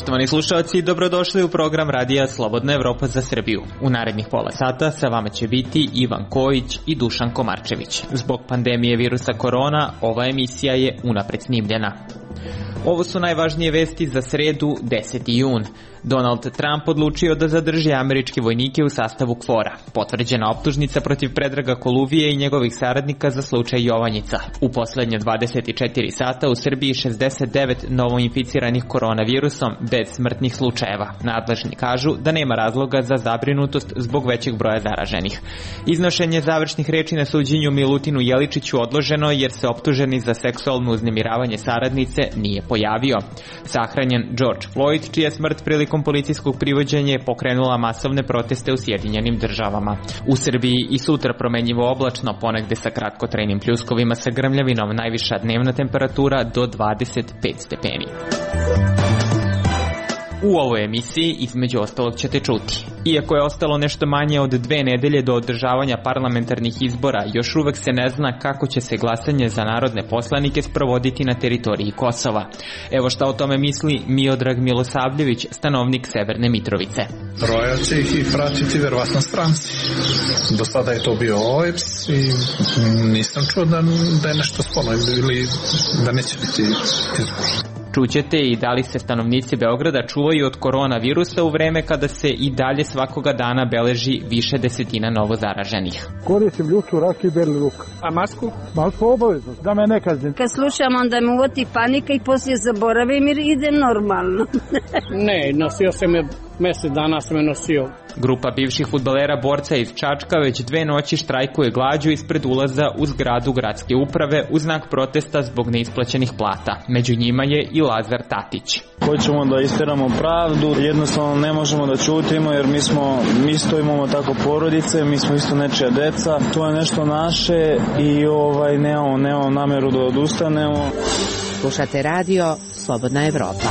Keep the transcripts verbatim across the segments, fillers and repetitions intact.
Poštovani slušalci, dobrodošli u program Radija Slobodna Evropa za Srbiju. U narednih pola sata sa vama će biti Ivan Kojić i Dušan Komarčević. Zbog pandemije virusa korona, ova emisija je unapred snimljena. Ovo su najvažnije vesti za sredu, deseti jun. Donald Trump odlučio da zadrži američke vojnike u sastavu KFOR-a. Potvrđena optužnica protiv Predraga Koluvije i njegovih saradnika za slučaj Jovanjica. U poslednje dvadeset četiri sata u Srbiji šezdeset devet novoinficiranih koronavirusom bez smrtnih slučajeva. Nadležni kažu da nema razloga za zabrinutost zbog većeg broja zaraženih. Iznošenje završnih reči na suđenju Milutinu Jeličiću odloženo jer se optuženi za seksualno uznemiravanje saradnice nije pojavio. Sahranjen George Floyd, čija smrt prilikom policijskog privođenja je pokrenula masovne proteste u Sjedinjenim državama. U Srbiji i sutra promenjivo oblačno, ponegde sa kratkotrajnim pljuskovima sa grmljavinom, najviša dnevna temperatura do dvadeset pet stepeni. U ovoj emisiji između ostalog ćete čuti. Iako je ostalo nešto manje od dve nedelje do održavanja parlamentarnih izbora, još uvek se ne zna kako će se glasanje za narodne poslanike sprovoditi na teritoriji Kosova. Evo šta o tome misli Miodrag Milosavljević, stanovnik Severne Mitrovice. Broja će ih i pratiti verovatno stranci. Do sada je to bio O E P S i nisam čuo da, da je nešto sporno ili da neće biti izbor. Čućete i da li se stanovnici Beograda čuvaju od koronavirusa u vreme kada se i dalje svakoga dana beleži više desetina novo zaraženih. Koristim ljuču, rakiju i beli luk. A masku? Masku obavezno, da me ne kaznim. Kad slušam, onda me uvoti panika i poslije zaboravim jer idem normalno. Ne, nosio sam je, mesec dana sam je nosio. Grupa bivših fudbalera borca iz Čačka već dve noći štrajkuje glađu ispred ulaza u zgradu gradske uprave u znak protesta zbog neisplaćenih plata. Među njima je i Lazar Tatić. Hoćemo da isteramo pravdu, jednostavno ne možemo da ćutimo jer mi smo, mi isto imamo tako porodice, mi smo isto nečija deca, to je nešto naše i ovaj, nemamo, nemamo nameru da odustanemo. Slušate radio Slobodna Evropa.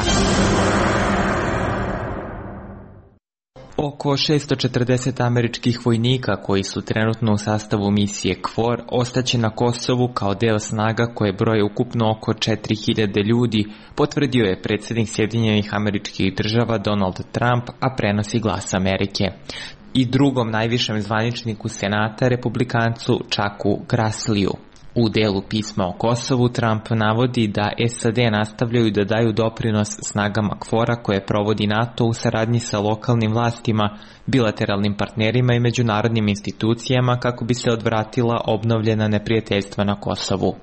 Oko šessto četrdeset američkih vojnika koji su trenutno u sastavu misije KFOR ostaće na Kosovu kao deo snaga koje broje ukupno oko četiri hiljade ljudi, potvrdio je predsjednik Sjedinjenih Američkih Država Donald Trump, a prenosi Glas Amerike. I drugom najvišem zvaničniku Senata, republikancu Chucku Grassliju. U delu pisma o Kosovu Trump navodi da S A D nastavljaju da daju doprinos snagama KFOR-a koje provodi NATO u saradnji sa lokalnim vlastima, bilateralnim partnerima i međunarodnim institucijama kako bi se odvratila obnovljena neprijateljstva na Kosovu.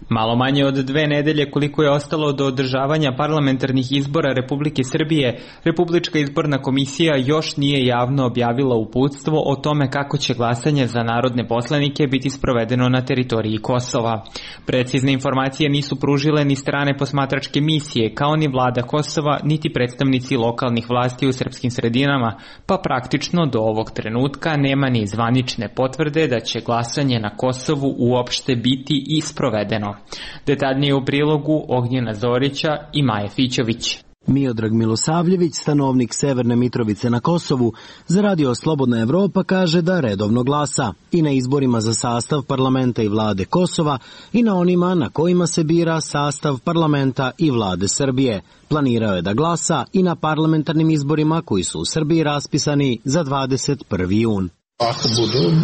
Malo manje od dve nedelje koliko je ostalo do održavanja parlamentarnih izbora Republike Srbije, Republička izborna komisija još nije javno objavila uputstvo o tome kako će glasanje za narodne poslanike biti sprovedeno na teritoriji Kosova. Precizne informacije nisu pružile ni strane posmatračke misije, kao ni vlada Kosova, niti predstavnici lokalnih vlasti u srpskim sredinama, pa praktično do ovog trenutka nema ni zvanične potvrde da će glasanje na Kosovu uopšte biti i sprovedeno. Detaljnije u prilogu Ognjena Zorića i Maje Fićović. Miodrag Milosavljević, stanovnik Severne Mitrovice na Kosovu, za radio Slobodna Evropa kaže da redovno glasa i na izborima za sastav parlamenta i vlade Kosova i na onima na kojima se bira sastav parlamenta i vlade Srbije. Planirao je da glasa i na parlamentarnim izborima koji su u Srbiji raspisani za dvadeset prvi jun. Ako budu,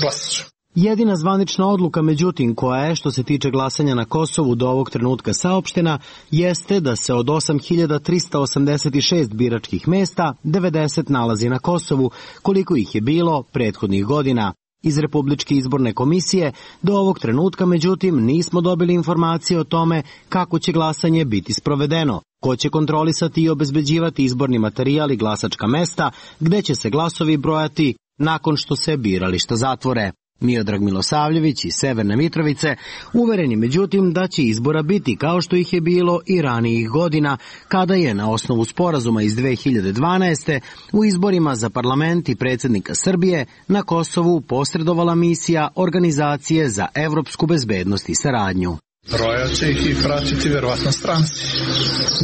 glasat ću. Jedina zvanična odluka, međutim, koja je, što se tiče glasanja na Kosovu, do ovog trenutka saopštena, jeste da se od osam hiljada trista osamdeset šest biračkih mesta devedeset nalazi na Kosovu, koliko ih je bilo prethodnih godina. Iz Republičke izborne komisije do ovog trenutka, međutim, nismo dobili informacije o tome kako će glasanje biti sprovedeno, ko će kontrolisati i obezbeđivati izborni materijal i glasačka mesta, gde će se glasovi brojati nakon što se birališta zatvore. Miodrag Milosavljević iz Severne Mitrovice uvereni međutim da će izbora biti kao što ih je bilo i ranijih godina, kada je na osnovu sporazuma iz dve hiljade dvanaeste. u izborima za parlament i predsjednika Srbije na Kosovu posredovala misija Organizacije za evropsku bezbednost i saradnju. Broja će ih i pratiti verovatno stranci.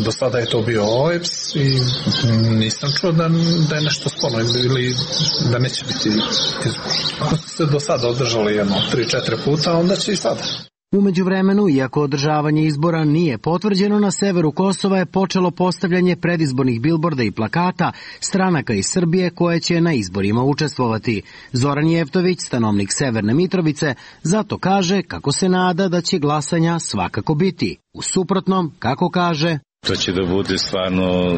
Do sada je to bio O E P S i nisam čuo da, da je nešto sporno ili da neće biti izbor. Ako su se do sada održali jedno tri četiri puta, onda će i sada. U međuvremenu, iako održavanje izbora nije potvrđeno, na severu Kosova je počelo postavljanje predizbornih bilborda i plakata stranaka iz Srbije koje će na izborima učestvovati. Zoran Jeftović, stanovnik Severne Mitrovice, zato kaže kako se nada da će glasanja svakako biti. U suprotnom, kako kaže, to će da bude stvarno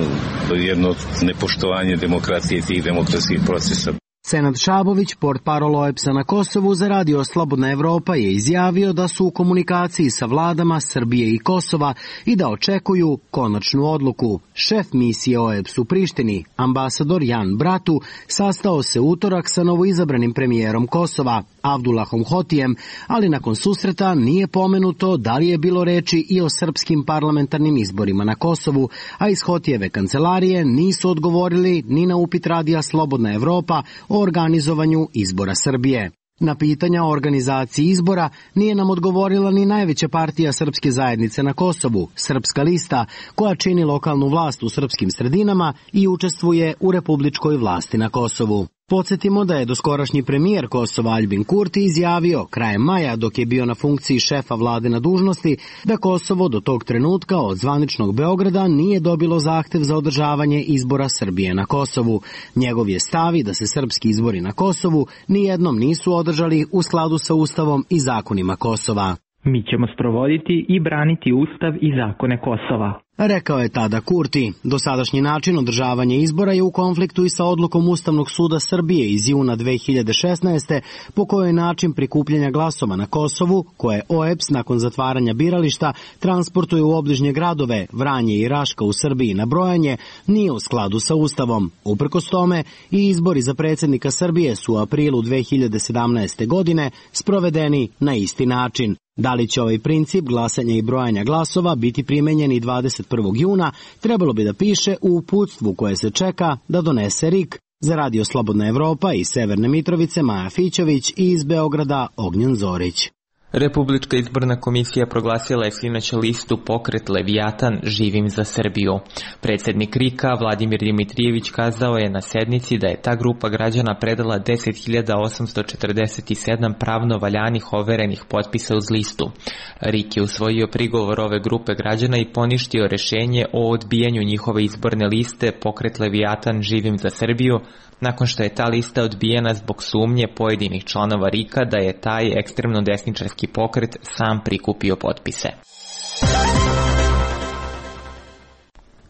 jedno nepoštovanje demokratije i tih demokratskih procesa. Senad Šabović, portparol O E P S-a na Kosovu, za radio Slobodna Evropa je izjavio da su u komunikaciji sa vladama Srbije i Kosova i da očekuju konačnu odluku. Šef misije O E P S u Prištini, ambasador Jan Bratu, sastao se utorak sa novoizabranim premijerom Kosova, Avdulahom Hotijem, ali nakon susreta nije pomenuto da li je bilo reči i o srpskim parlamentarnim izborima na Kosovu, a iz Hotijeve kancelarije nisu odgovorili ni na upit radija Slobodna Evropa o organizovanju izbora Srbije. Na pitanja o organizaciji izbora nije nam odgovorila ni najveća partija srpske zajednice na Kosovu, Srpska lista, koja čini lokalnu vlast u srpskim sredinama i učestvuje u republičkoj vlasti na Kosovu. Podsjetimo da je doskorašnji premijer Kosova Aljbin Kurti izjavio krajem maja, dok je bio na funkciji šefa vlade na dužnosti, da Kosovo do tog trenutka od zvaničnog Beograda nije dobilo zahtev za održavanje izbora Srbije na Kosovu. Njegov je stav da se srpski izbori na Kosovu nijednom nisu održali u skladu sa Ustavom i zakonima Kosova. Mi ćemo sprovoditi i braniti Ustav i zakone Kosova, rekao je tada Kurti. Dosadašnji način održavanja izbora je u konfliktu i sa odlukom Ustavnog suda Srbije iz juna dve hiljade šesnaeste. po kojoj način prikupljanja glasova na Kosovu, koje O E P S nakon zatvaranja birališta transportuje u obližnje gradove Vranje i Raška u Srbiji na brojanje, nije u skladu sa Ustavom. Uprkos tome, i izbori za predsjednika Srbije su u aprilu dve hiljade sedamnaeste. godine sprovedeni na isti način. Da li će ovaj princip glasanja i brojanja glasova biti primenjeni dvadeset prvog juna, trebalo bi da piše u uputstvu koje se čeka da donese R I K. Za radio Slobodna Evropa iz Severne Mitrovice Maja Fićović i iz Beograda Ognjen Zorić. Republička izborna komisija proglasila je sinoć listu Pokret Levijatan Živim za Srbiju. Predsjednik R I K-a Vladimir Dimitrijević kazao je na sednici da je ta grupa građana predala deset hiljada osamsto četrdeset sedam pravno valjanih overenih potpisa uz listu. R I K je usvojio prigovor ove grupe građana i poništio rešenje o odbijanju njihove izborne liste Pokret Levijatan Živim za Srbiju, nakon što je ta lista odbijena zbog sumnje pojedinih članova R I K-a da je taj ekstremno desničarski pokret sam prikupio potpise.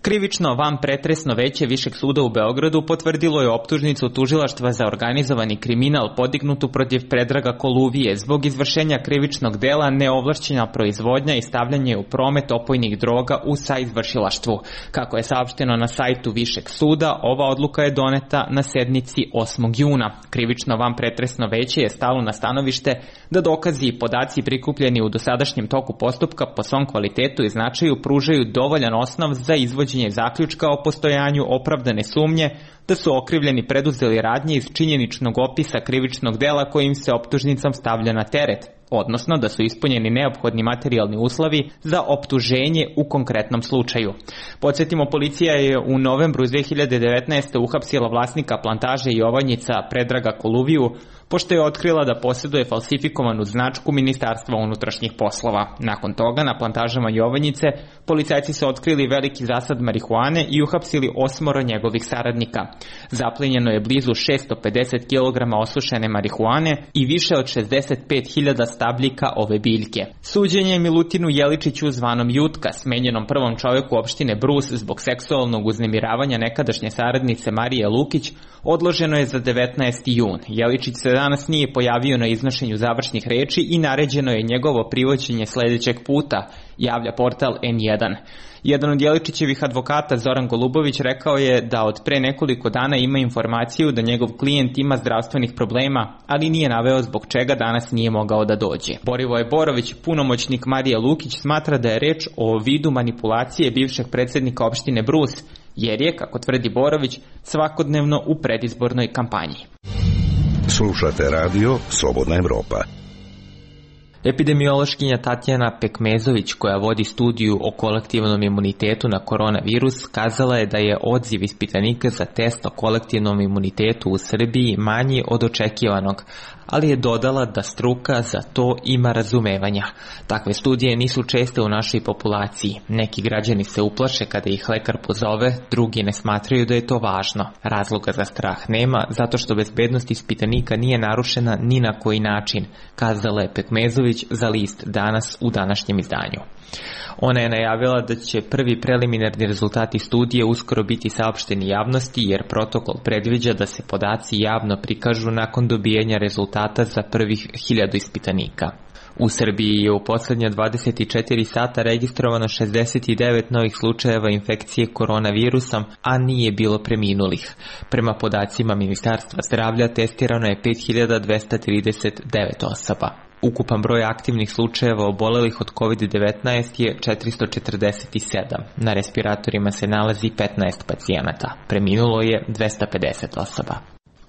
Krivično vanpretresno veće Višeg suda u Beogradu potvrdilo je optužnicu tužilaštva za organizovani kriminal podignutu protiv Predraga Koluvije zbog izvršenja krivičnog dela neovlašćena proizvodnja i stavljanje u promet opojnih droga u saizvršilaštvu. Kako je saopšteno na sajtu Višeg suda, ova odluka je doneta na sednici osmog juna. Krivično vanpretresno veće je stalo na stanovište da dokazi i podaci prikupljeni u dosadašnjem toku postupka po svom kvalitetu i značaju pružaju dovoljan osnov za izvođenje zaključka o postojanju opravdane sumnje da su okrivljeni preduzeli radnje iz činjeničnog opisa krivičnog dela kojim se optužnicom stavlja na teret, odnosno da su ispunjeni neophodni materijalni uslovi za optuženje u konkretnom slučaju. Podsjetimo, policija je u novembru dve hiljade devetnaeste. uhapsila vlasnika plantaže Jovanjica Predraga Koluviju, pošto je otkrila da posjeduje falsifikovanu značku Ministarstva unutrašnjih poslova. Nakon toga, na plantažama Jovanjice, policajci su otkrili veliki zasad marihuane i uhapsili osmoro njegovih saradnika. Zaplenjeno je blizu šesto pedeset kilograma osušene marihuane i više od šezdeset pet hiljada stabljika ove biljke. Suđenje Milutinu Jeličiću zvanom Jutka, smenjenom prvom čovjeku opštine Brus zbog seksualnog uznemiravanja nekadašnje saradnice Marije Lukić, odloženo je za devetnaesti jun. Jeličić se danas nije pojavio na iznošenju završnih reči i naređeno je njegovo privođenje sledećeg puta, javlja portal N jedan. Jedan od Jeličićevih advokata, Zoran Golubović, rekao je da od pre nekoliko dana ima informaciju da njegov klijent ima zdravstvenih problema, ali nije naveo zbog čega danas nije mogao da dođe. Borivoje Borović, punomoćnik Marije Lukić, smatra da je reč o vidu manipulacije bivšeg predsjednika opštine Brus, jer je, kako tvrdi Borović, svakodnevno u predizbornoj kampanji. Slušate radio Slobodna Evropa. Epidemiološkinja Tatjana Pekmezović, koja vodi studiju o kolektivnom imunitetu na koronavirus, kazala je da je odziv ispitanika za test o kolektivnom imunitetu u Srbiji manji od očekivanog, ali je dodala da struka za to ima razumevanja. Takve studije nisu česte u našoj populaciji. Neki građani se uplaše kada ih lekar pozove, drugi ne smatraju da je to važno. Razloga za strah nema, zato što bezbednost ispitanika nije narušena ni na koji način, kazala je Pekmezović za list Danas u današnjem izdanju. Ona je najavila da će prvi preliminarni rezultati studije uskoro biti saopšteni javnosti, jer protokol predviđa da se podaci javno prikažu nakon dobijanja rezultata za prvih hiljadu ispitanika. U Srbiji je u poslednja dvadeset četiri sata registrovano šezdeset devet novih slučajeva infekcije koronavirusom, a nije bilo preminulih. Prema podacima Ministarstva zdravlja testirano je pet hiljada dvesta trideset devet osoba. Ukupan broj aktivnih slučajeva obolelih od kovid devetnaest je četiristo četrdeset sedam. Na respiratorima se nalazi petnaest pacijenata. Preminulo je dvesta pedeset osoba.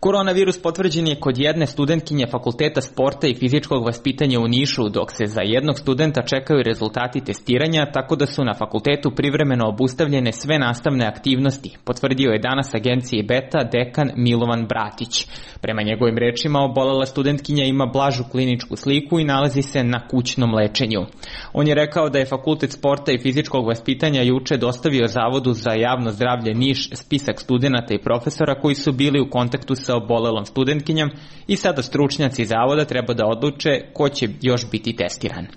Koronavirus potvrđen je kod jedne studentkinje Fakulteta sporta i fizičkog vaspitanja u Nišu, dok se za jednog studenta čekaju rezultati testiranja, tako da su na fakultetu privremeno obustavljene sve nastavne aktivnosti, potvrdio je danas agenciji Beta dekan Milovan Bratić. Prema njegovim rečima, obolela studentkinja ima blažu kliničku sliku i nalazi se na kućnom lečenju. On je rekao da je Fakultet sporta i fizičkog vaspitanja juče dostavio Zavodu za javno zdravlje Niš spisak studenata i profesora koji su bili u kontaktu sa obolelom studentkinjom i sada stručnjaci zavoda treba da odluče ko će još biti testiran.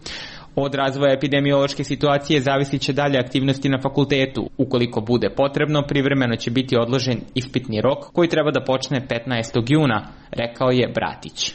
Od razvoja epidemiološke situacije zavisit će dalje aktivnosti na fakultetu. Ukoliko bude potrebno, privremeno će biti odložen ispitni rok koji treba da počne petnaestog juna, rekao je Bratić.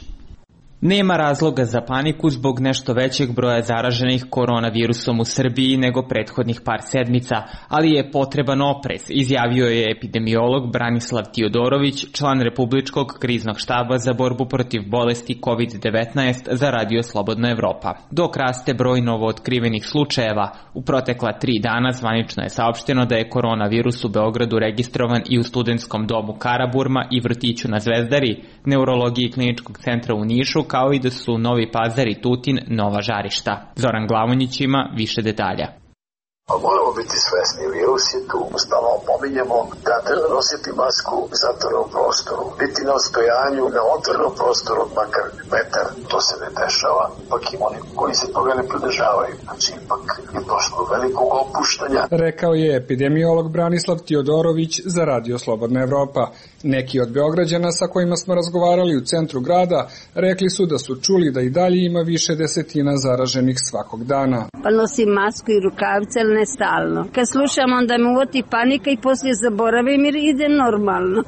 Nema razloga za paniku zbog nešto većeg broja zaraženih koronavirusom u Srbiji nego prethodnih par sedmica, ali je potreban oprez, izjavio je epidemiolog Branislav Tiodorović, član Republičkog kriznog štaba za borbu protiv bolesti kovid devetnaest za Radio Slobodna Evropa. Dok raste broj novootkrivenih slučajeva, u protekla tri dana zvanično je saopšteno da je koronavirus u Beogradu registrovan i u studentskom domu Karaburma i vrtiću na Zvezdari, neurologiji kliničkog centra u Nišu, kao i da su Novi Pazar i Tutin nova žarišta. Zoran Glavonjić ima više detalja. Moramo biti svesni, virus je tu. Stalno pominjemo da treba nositi masku u zatvorenom prostoru, biti na odstojanju na otvorenom prostoru makar metar. To se ne dešava, ipak ima oni koji se toga ne pridržavaju. Znači, ipak je došlo do velikog opuštanja. Rekao je epidemiolog Branislav Tiodorović za Radio Slobodna Evropa. Neki od Beograđana sa kojima smo razgovarali u centru grada rekli su da su čuli da i dalje ima više desetina zaraženih svakog dana. Pa nosim masku i rukavice, ali ne stalno. Kad slušam, onda me uvoti panika i poslije zaboravim jer ide normalno.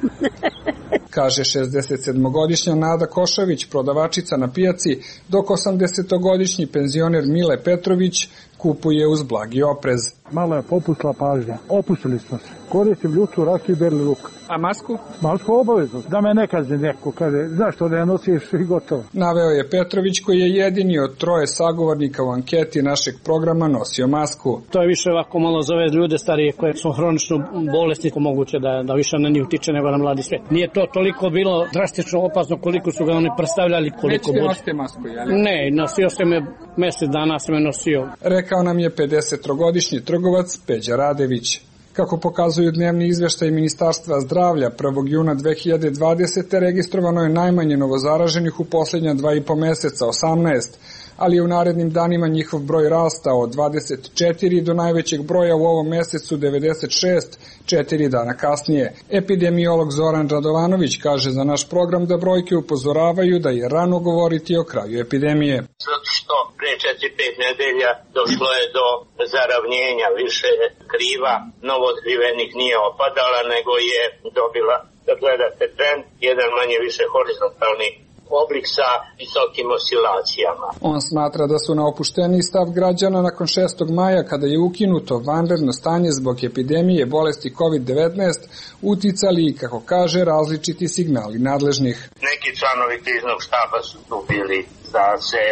Kaže šezdesetsedmogodišnja Nada Košavić, prodavačica na pijaci, dok osamdesetogodišnji penzioner Mile Petrović kupuje uz blagi oprez. Malo je popustila pažnja. Opustili smo se. Koristim ljutu, rakiju i beli luk. A masku? Masku obavezno. Da me ne kazni neko. Kaže, znaš što da je nosiš i gotovo. Naveo je Petrović, koji je jedini od troje sagovornika u anketi našeg programa nosio masku. To je više ovako malo za ove ljude starije koje su hronično bolesni, moguće da, da više na njih utiče nego na mladi svijet. Nije to toliko bilo drastično opasno koliko su ga oni predstavljali. Koliko Nećete nosite masku, jel? Ne, nosio sam je mjesec dana sam je nosio. Rekao nam je pedesettrogodišnji trgovac Peđa Radević. Kako pokazuju dnevni izveštaj Ministarstva zdravlja, prvog juna dve hiljade dvadesete. registrovano je najmanje novozaraženih u posljednja dva i po meseca, osamnaest, ali je u narednim danima njihov broj rastao od dvadeset četiri do najvećeg broja u ovom mesecu devedeset šest, četiri dana kasnije. Epidemiolog Zoran Radovanović kaže za naš program da brojke upozoravaju da je rano govoriti o kraju epidemije. Zato što pre četiri pet nedelja došlo je do zaravnjenja, više kriva novootkrivenih nije opadala, nego je dobila, da gledate trend, jedan manje više horizontalni oblik sa visokim oscilacijama. On smatra da su na opušteniji stav građana nakon šestog maja, kada je ukinuto vanredno stanje zbog epidemije bolesti kovid devetnaest, uticali i, kako kaže, različiti signali nadležnih. Neki članovi kriznog štaba su tu bili da se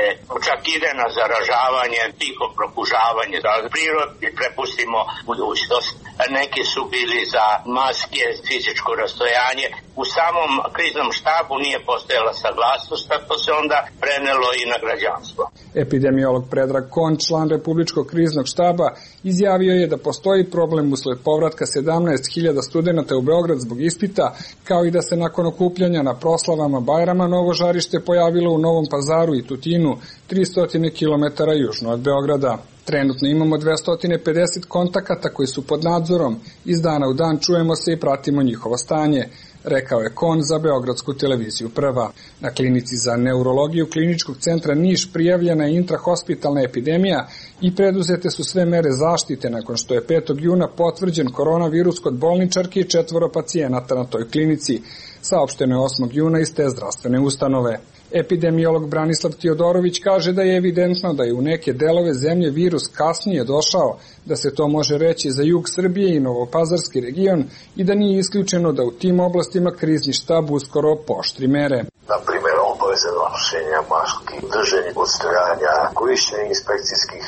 čak ide na zaražavanje, tiho prokužavanje za prirod i prepustimo budućnost. Neki su bili za maske, fizičko rastojanje, u samom kriznom štabu nije postojala saglasnost, tako se onda prenelo i na građanstvo. Epidemiolog Predrag Kon, član Republičkog kriznog štaba, izjavio je da postoji problem usled povratka sedamnaest hiljada studenata u Beograd zbog ispita, kao i da se nakon okupljanja na proslavama Bajrama novo žarište pojavilo u Novom Pazaru i Tutinu, tristo kilometara južno od Beograda. Trenutno imamo dvesta pedeset kontakata koji su pod nadzorom. Iz dana u dan čujemo se i pratimo njihovo stanje, rekao je Kon za Beogradsku televiziju Prva. Na klinici za neurologiju Kliničkog centra Niš prijavljena je intrahospitalna epidemija i preduzete su sve mere zaštite nakon što je petog juna potvrđen koronavirus kod bolničarke i četvoro pacijenata na toj klinici. Saopšteno je osmog juna iz te zdravstvene ustanove. Epidemiolog Branislav Teodorović kaže da je evidentno da je u neke delove zemlje virus kasnije došao, da se to može reći za jug Srbije i Novopazarski region i da nije isključeno da u tim oblastima krizni štab uskoro pooštri mere. Na primjer, obaveze nošenja maski, drženje odstojanja, korišćenje inspekcijskih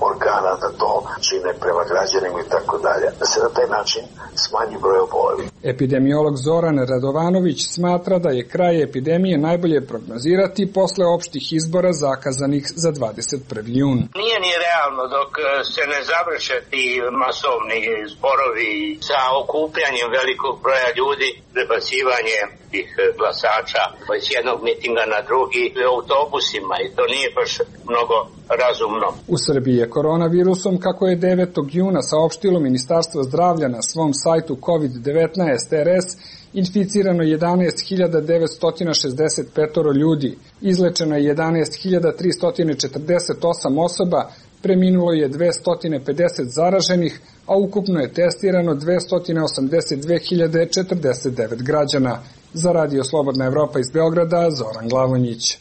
organa da to čine prema građanima i tako dalje, da se na taj način smanji broj obolelih. Epidemiolog Zoran Radovanović smatra da je kraj epidemije najbolje prognozirati posle opštih izbora zakazanih za dvadeset prvi jun. Nije ni realno dok se ne završe ti masovni zborovi sa okupljanjem velikog broja ljudi, prebacivanje tih glasača iz jednog mitinga na drugi autobusima i to nije baš mnogo razumno. U Srbiji je koronavirusom, kako je devetog juna saopštilo Ministarstvo zdravlja na svom sajtu kovid devetnaest er es, inficirano jedanaest hiljada devetsto šezdeset pet ljudi, izlečeno je jedanaest hiljada tristo četrdeset osam osoba, preminulo je dvesta pedeset zaraženih, a ukupno je testirano dvesta osamdeset dve hiljade četrdeset devet građana. Za Radio Slobodna Evropa iz Beograda, Zoran Glavonjić.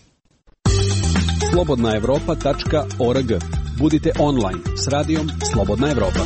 slobodna evropa tačka org. Budite online s radijom Slobodna Evropa.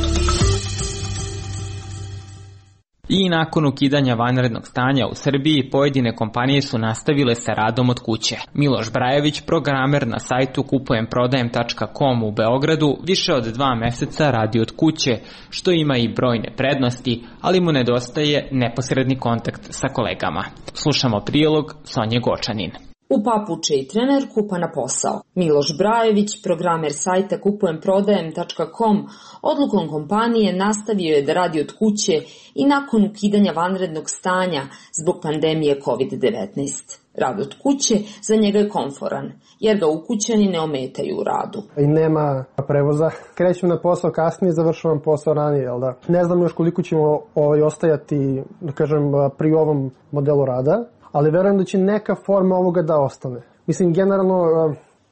I nakon ukidanja vanrednog stanja u Srbiji, pojedine kompanije su nastavile sa radom od kuće. Miloš Brajević, programer na sajtu kupujem prodajem tačka com u Beogradu, više od dva meseca radi od kuće, što ima i brojne prednosti, ali mu nedostaje neposredni kontakt sa kolegama. Slušamo prilog Sonje Gočanin. U papuče i trener kupa na posao. Miloš Brajević, programer sajta kupujem prodajem tačka com, odlukom kompanije nastavio je da radi od kuće i nakon ukidanja vanrednog stanja zbog pandemije kovid devetnaest. Rad od kuće za njega je komforan, jer ga ukućani ne ometaju u radu. I nema prevoza. Krećem na posao kasnije, završavam posao ranije, jel da? Ne znam još koliko ćemo ovaj, ostajati, da kažem, pri ovom modelu rada, ali verujem da će neka forma ovoga da ostane. Mislim, generalno,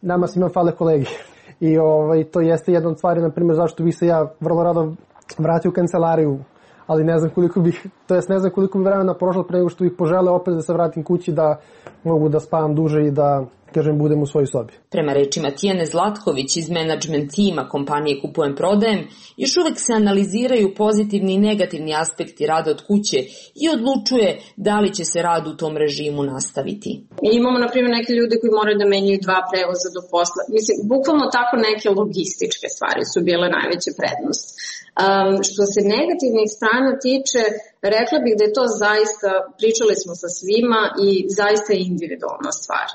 nama svima fale kolegi. I ovaj, to jeste jedna od stvari, na primjer, zašto bi se ja vrlo rado vratio u kancelariju, ali ne znam koliko bih, to jest ne znam koliko bi vremena prošlo pre nego što bih poželeo opet da se vratim kući, da mogu da spavam duže i da, kažem, budem u svojoj sobi. Prema rečima Tijane Zlatković iz menadžment tima kompanije Kupujem prodajem, još uvek se analiziraju pozitivni i negativni aspekti rada od kuće i odlučuje da li će se rad u tom režimu nastaviti. Mi imamo, na primjer, neke ljude koji moraju da menjaju dva prevoza do posla. Mislim, bukvalno tako neke logističke stvari su bile najveća prednost. Um, što se negativnih strana tiče, rekla bih da je to zaista, pričali smo sa svima i zaista je individualna stvar.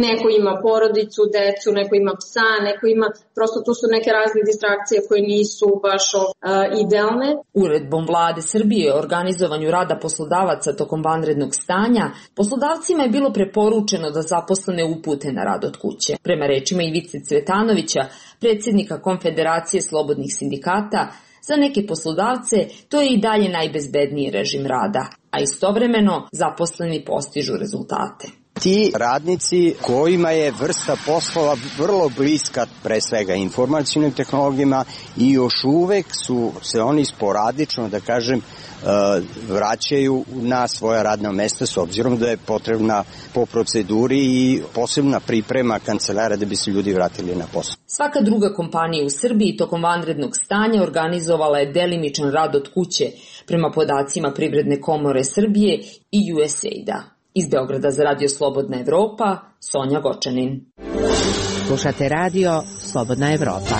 Neko ima porodicu, decu, neko ima psa, neko ima, prosto tu su neke razne distrakcije koje nisu baš uh, idealne. Uredbom Vlade Srbije o organizovanju rada poslodavaca tokom vanrednog stanja, poslodavcima je bilo preporučeno da zaposlene upute na rad od kuće. Prema rečima Ivice Cvetanovića, predsjednika Konfederacije slobodnih sindikata, za neke poslodavce to je i dalje najbezbedniji režim rada, a istovremeno zaposleni postižu rezultate. Ti radnici kojima je vrsta poslova vrlo bliska pre svega informacijnim tehnologijama i još uvek su se oni sporadično, da kažem, vraćaju na svoja radna mesta s obzirom da je potrebna po proceduri i posebna priprema kancelara da bi se ljudi vratili na posao. Svaka druga kompanija u Srbiji tokom vanrednog stanja organizovala je delimičan rad od kuće prema podacima Privredne komore Srbije i U S A I D-a. Iz Beograda za Radio Slobodna Evropa, Sonja Gočanin. Slušate Radio Slobodna Evropa.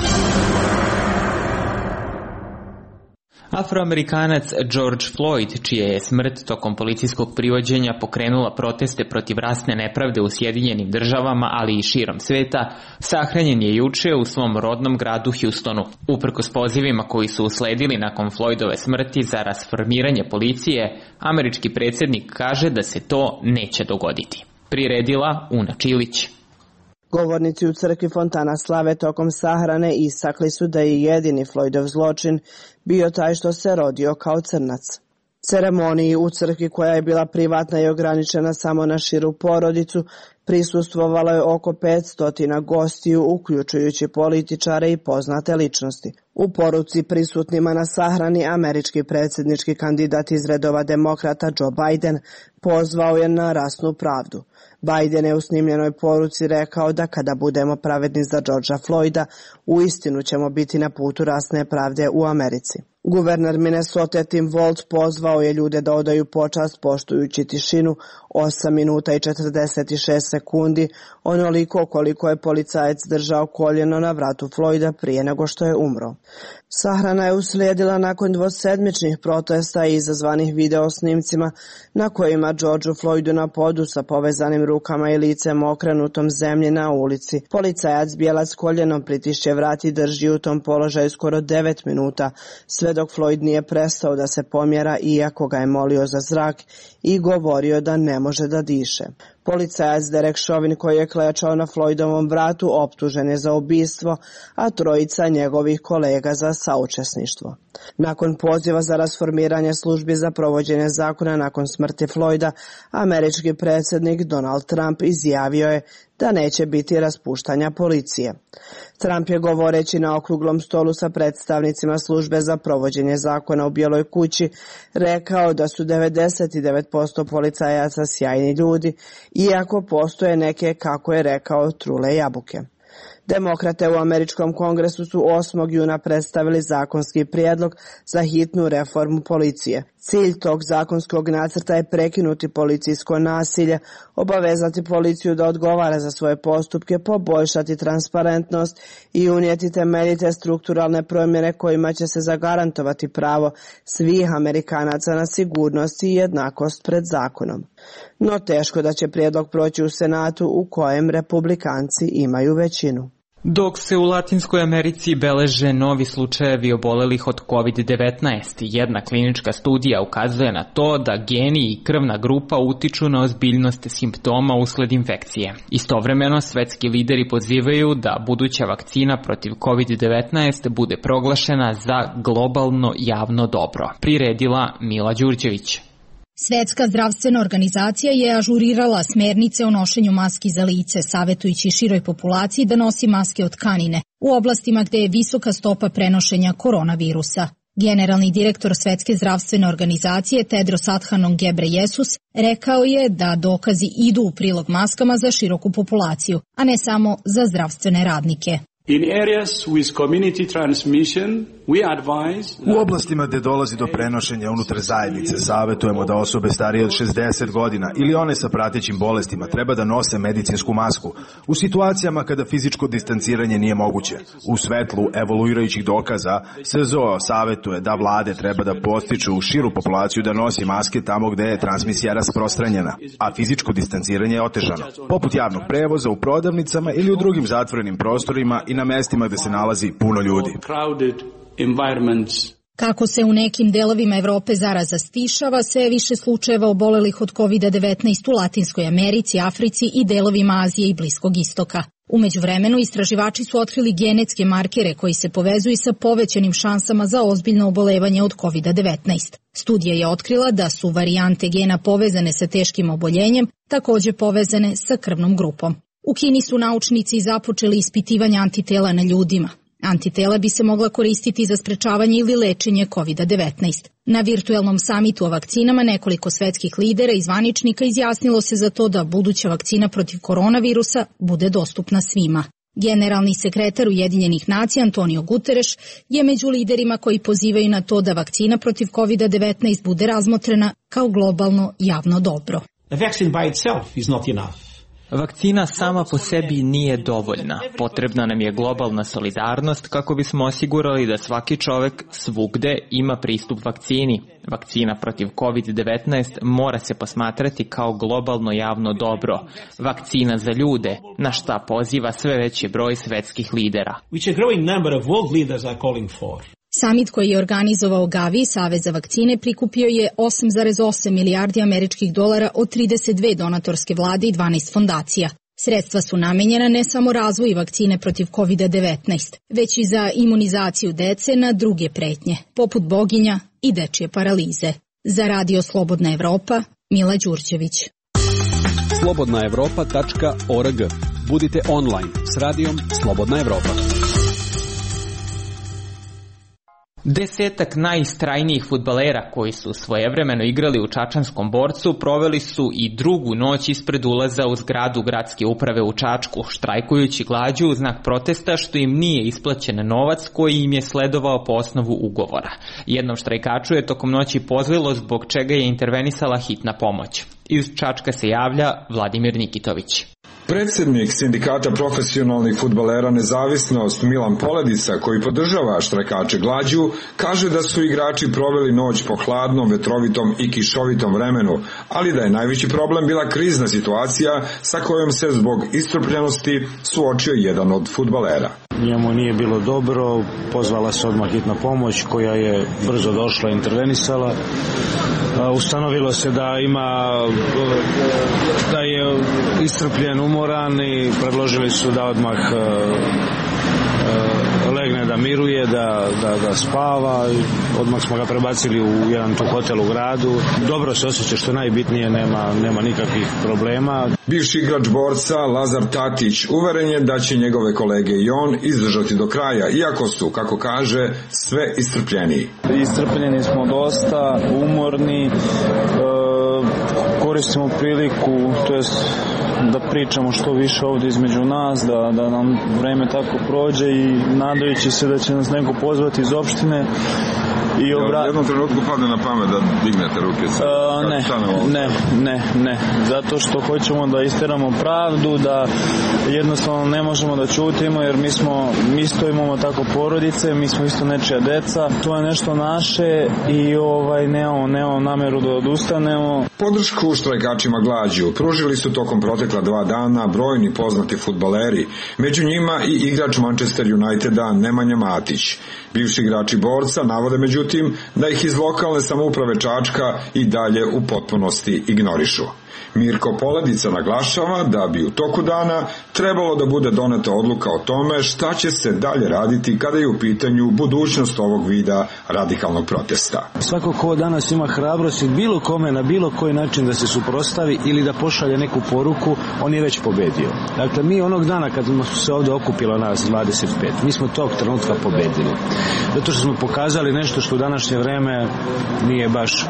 Afroamerikanac George Floyd, čija je smrt tokom policijskog privođenja pokrenula proteste protiv rasne nepravde u Sjedinjenim državama, ali i širom sveta, sahranjen je juče u svom rodnom gradu Houstonu. Uprkos pozivima koji su usledili nakon Floydove smrti za rasformiranje policije, američki predsjednik kaže da se to neće dogoditi. Priredila Una Čilić. Govornici u crkvi Fontana Slave tokom sahrane istakli su da je jedini Floydov zločin bio taj što se rodio kao crnac. Ceremoniji u crkvi, koja je bila privatna i ograničena samo na širu porodicu, prisustvovalo je oko petsto gostiju, uključujući političare i poznate ličnosti. U poruci prisutnima na sahrani američki predsjednički kandidat iz redova demokrata Joe Biden pozvao je na rasnu pravdu. Biden je u snimljenoj poruci rekao da kada budemo pravedni za Georgea Floyda, uistinu ćemo biti na putu rasne pravde u Americi. Guverner Minnesota Tim Walz pozvao je ljude da odaju počast poštujući tišinu osam minuta i četrdeset šest sekundi, onoliko koliko je policajac držao koljeno na vratu Floyda prije nego što je umro. Sahrana je uslijedila nakon dvosedmičnih protesta izazvanih video snimcima na kojima Georgeu Floydu na podu sa povezanim rukama i licem okrenutom zemlji na ulici. Policajac bijelac koljenom pritišće vrat i drži u tom položaju skoro devet minuta, sve dok Floyd nije prestao da se pomjera iako ga je molio za zrak i govorio da ne može da diše. Policajac Derek Chauvin, koji je klečao na Floydovom vratu, optužen je za ubistvo, a trojica njegovih kolega za saučesništvo. Nakon poziva za rasformiranje službi za provođenje zakona nakon smrti Floyda, američki predsjednik Donald Trump izjavio je da neće biti raspuštanja policije. Trump je, govoreći na okruglom stolu sa predstavnicima službe za provođenje zakona u Bijeloj kući, rekao da su devedeset devet posto policajaca sjajni ljudi, iako postoje neke, kako je rekao, trule jabuke. Demokrate u američkom kongresu su osmog juna predstavili zakonski prijedlog za hitnu reformu policije. Cilj tog zakonskog nacrta je prekinuti policijsko nasilje, obavezati policiju da odgovara za svoje postupke, poboljšati transparentnost i unijeti temeljite strukturalne promjene kojima će se zagarantovati pravo svih Amerikanaca na sigurnost i jednakost pred zakonom. No teško da će prijedlog proći u Senatu, u kojem republikanci imaju većinu. Dok se u Latinskoj Americi beleže novi slučajevi obolelih od kovid devetnaest, jedna klinička studija ukazuje na to da geni i krvna grupa utiču na ozbiljnost simptoma usled infekcije. Istovremeno, svetski lideri pozivaju da buduća vakcina protiv kovid devetnaest bude proglašena za globalno javno dobro. Priredila Mila Đurđević. Svetska zdravstvena organizacija je ažurirala smernice o nošenju maski za lice, savjetujući široj populaciji da nosi maske od tkanine u oblastima gde je visoka stopa prenošenja koronavirusa. Generalni direktor Svetske zdravstvene organizacije Tedros Adhanom Ghebreyesus rekao je da dokazi idu u prilog maskama za široku populaciju, a ne samo za zdravstvene radnike. In areas with community transmission, we advise... U oblastima gde dolazi do prenošenja unutar zajednice, savjetujemo da osobe starije od šezdeset godina ili one sa pratećim bolestima treba da nose medicinsku masku u situacijama kada fizičko distanciranje nije moguće. U svetlu evoluirajućih dokaza, S Z O savjetuje da vlade treba da postiču širu populaciju da nosi maske tamo gde je transmisija rasprostranjena, a fizičko distanciranje je otežano, poput javnog prevoza, u prodavnicama ili u drugim zatvorenim prostorima i na mestima gde se nalazi puno ljudi. Kako se u nekim delovima Evrope zaraza stišava, sve više slučajeva obolelih od kovid devetnaest u Latinskoj Americi, Africi i delovima Azije i Bliskog istoka. U međuvremenu, istraživači su otkrili genetske markere koji se povezuju sa povećanim šansama za ozbiljno obolevanje od kovid devetnaest. Studija je otkrila da su varijante gena povezane sa teškim oboljenjem, takođe povezane sa krvnom grupom. U Kini su naučnici započeli ispitivanje antitela na ljudima. Antitela bi se mogla koristiti za sprečavanje ili lečenje kovid devetnaest. Na virtuelnom samitu o vakcinama nekoliko svetskih lidera i zvaničnika izjasnilo se za to da buduća vakcina protiv koronavirusa bude dostupna svima. Generalni sekretar Ujedinjenih nacija Antonio Guterres je među liderima koji pozivaju na to da vakcina protiv kovid devetnaest bude razmotrena kao globalno javno dobro. A vaccine by itself is not enough. Vakcina sama po sebi nije dovoljna. Potrebna nam je globalna solidarnost kako bismo osigurali da svaki čovek svugde ima pristup vakcini. Vakcina protiv kovid devetnaest mora se posmatrati kao globalno javno dobro. Vakcina za ljude, na šta poziva sve veći broj svetskih lidera. Which a growing number of world leaders are calling for. Samit koji je organizovao Gavi, Savez za vakcine, prikupio je osam zarez osam milijardi američkih dolara od trideset dve donatorske vlade i dvanaest fondacija. Sredstva su namenjena ne samo razvoju vakcine protiv kovid devetnaest, već i za imunizaciju dece na druge pretnje, poput boginja i dečje paralize. Za Radio Slobodna Evropa, Mila Đurđević. slobodna evropa tačka org. Budite online s radijom Slobodna Evropa. Desetak najistrajnijih fudbalera koji su svojevremeno igrali u Čačanskom Borcu proveli su i drugu noć ispred ulaza u zgradu gradske uprave u Čačku, štrajkujući glađu u znak protesta što im nije isplaćen novac koji im je sledovao po osnovu ugovora. Jednom štrajkaču je tokom noći pozlilo zbog čega je intervenisala hitna pomoć. Iz Čačka se javlja Vladimir Nikitović. Predsednik Sindikata profesionalnih fudbalera Nezavisnost Milan Poledica, koji podržava štrajkače glađu, kaže da su igrači proveli noć po hladnom, vetrovitom i kišovitom vremenu, ali da je najveći problem bila krizna situacija sa kojom se zbog iscrpljenosti suočio jedan od fudbalera. Njemu nije bilo dobro, pozvala se odmah hitna pomoć koja je brzo došla i intervenisala. Ustanovilo se da ima, da je iscrpljen, umoran i predložili su da odmah legne da miruje, da, da, da spava. Odmah smo ga prebacili u jedan tu hotel u gradu. Dobro se osjeća, što najbitnije, nema, nema nikakvih problema. Bivši igrač Borca Lazar Tatić uveren je da će njegove kolege i on izdržati do kraja, iako su, kako kaže, sve iscrpljeniji. Iscrpljeni smo dosta, umorni, e, koristimo priliku, to jest da pričamo što više ovdje između nas, da, da nam vreme tako prođe i nadajući se da će nas neko pozvati iz opštine. I obra... U jednom trenutku padne na pamet da dignete ruke? Sa... Uh, ne, ne, ne, ne. Zato što hoćemo da isteramo pravdu, da jednostavno ne možemo da ćutimo, jer mi smo, mi isto imamo tako porodice, mi smo isto nečija deca. To je nešto naše i ovaj, nemamo, nemamo nameru da odustanemo. Podršku štrajkačima glađu pružili su tokom protekla dva dana brojni poznati fudbaleri, među njima i igrač Manchester Uniteda Nemanja Matić. Bivši igrači Borca navode međutim da ih iz lokalne samouprave Čačka i dalje u potpunosti ignorišu. Mirko Poledica naglašava da bi u toku dana trebalo da bude doneta odluka o tome šta će se dalje raditi kada je u pitanju budućnost ovog vida radikalnog protesta. Svako ko danas ima hrabrost bilo kome na bilo koji način da se suprotstavi ili da pošalje neku poruku, on je već pobedio. Dakle, mi onog dana kad smo se ovdje okupilo nas dvadeset pet, mi smo tog trenutka pobedili. Zato što smo pokazali nešto što u današnje vreme nije baš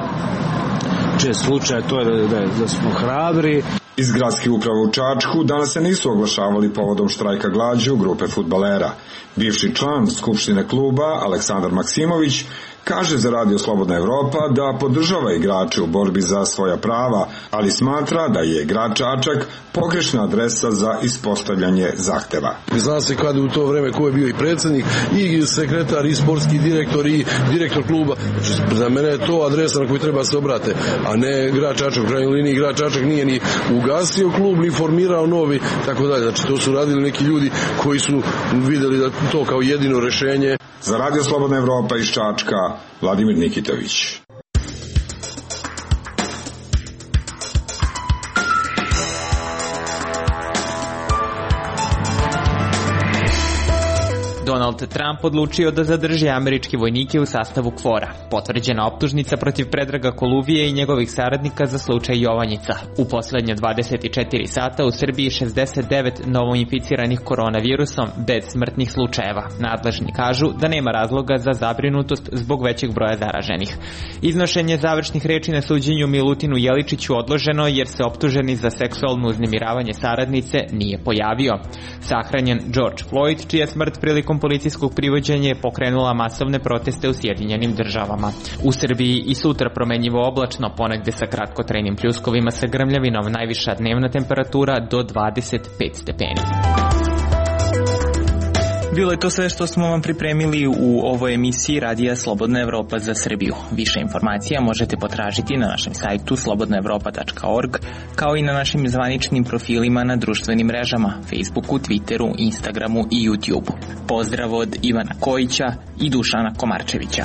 čest slučaj, to je da, da, da smo hrabri. Iz gradske uprave u Čačku danas se nisu oglašavali povodom štrajka glađu grupe fudbalera. Bivši član Skupštine kluba Aleksandar Maksimović kaže za Radio Slobodna Evropa da podržava igrače u borbi za svoja prava, ali smatra da je grad Čačak pogrešna adresa za ispostavljanje zahteva. Zna se kada u to vreme ko je bio i predsjednik, i sekretar, i sportski direktor, i direktor kluba. Znači, za mene je to adresa na koju treba se obrate, a ne grad Čačak. U krajnjoj liniji grad Čačak nije ni ugasio klub, ni formirao novi, tako dalje. Znači, to su radili neki ljudi koji su videli da to kao jedino rešenje. Za Radio Slobodna Evropa iz Čačka, Vladimir Nikitović. Donald Trump odlučio da zadrži američke vojnike u sastavu KFOR-a. Potvrđena optužnica protiv Predraga Koluvije i njegovih saradnika za slučaj Jovanjica. U poslednje dvadeset četiri sata u Srbiji šezdeset devet novoinficiranih koronavirusom bez smrtnih slučajeva. Nadležni kažu da nema razloga za zabrinutost zbog većeg broja zaraženih. Iznošenje završnih reči na suđenju Milutinu Jeličiću odloženo jer se optuženi za seksualno uznemiravanje saradnice nije pojavio. Sahranjen George Floyd, čija smrt prilikom policijskog privođenja je pokrenula masovne proteste u Sjedinjenim državama. U Srbiji i sutra promenjivo oblačno, ponegde sa kratkotrajnim pljuskovima sa grmljavinom, najviša dnevna temperatura do dvadeset pet stepeni. Bilo je to sve što smo vam pripremili u ovoj emisiji Radija Slobodna Evropa za Srbiju. Više informacija možete potražiti na našem sajtu slobodna evropa tačka org, kao i na našim zvaničnim profilima na društvenim mrežama, Facebooku, Twitteru, Instagramu i YouTubeu. Pozdrav od Ivana Kojića i Dušana Komarčevića.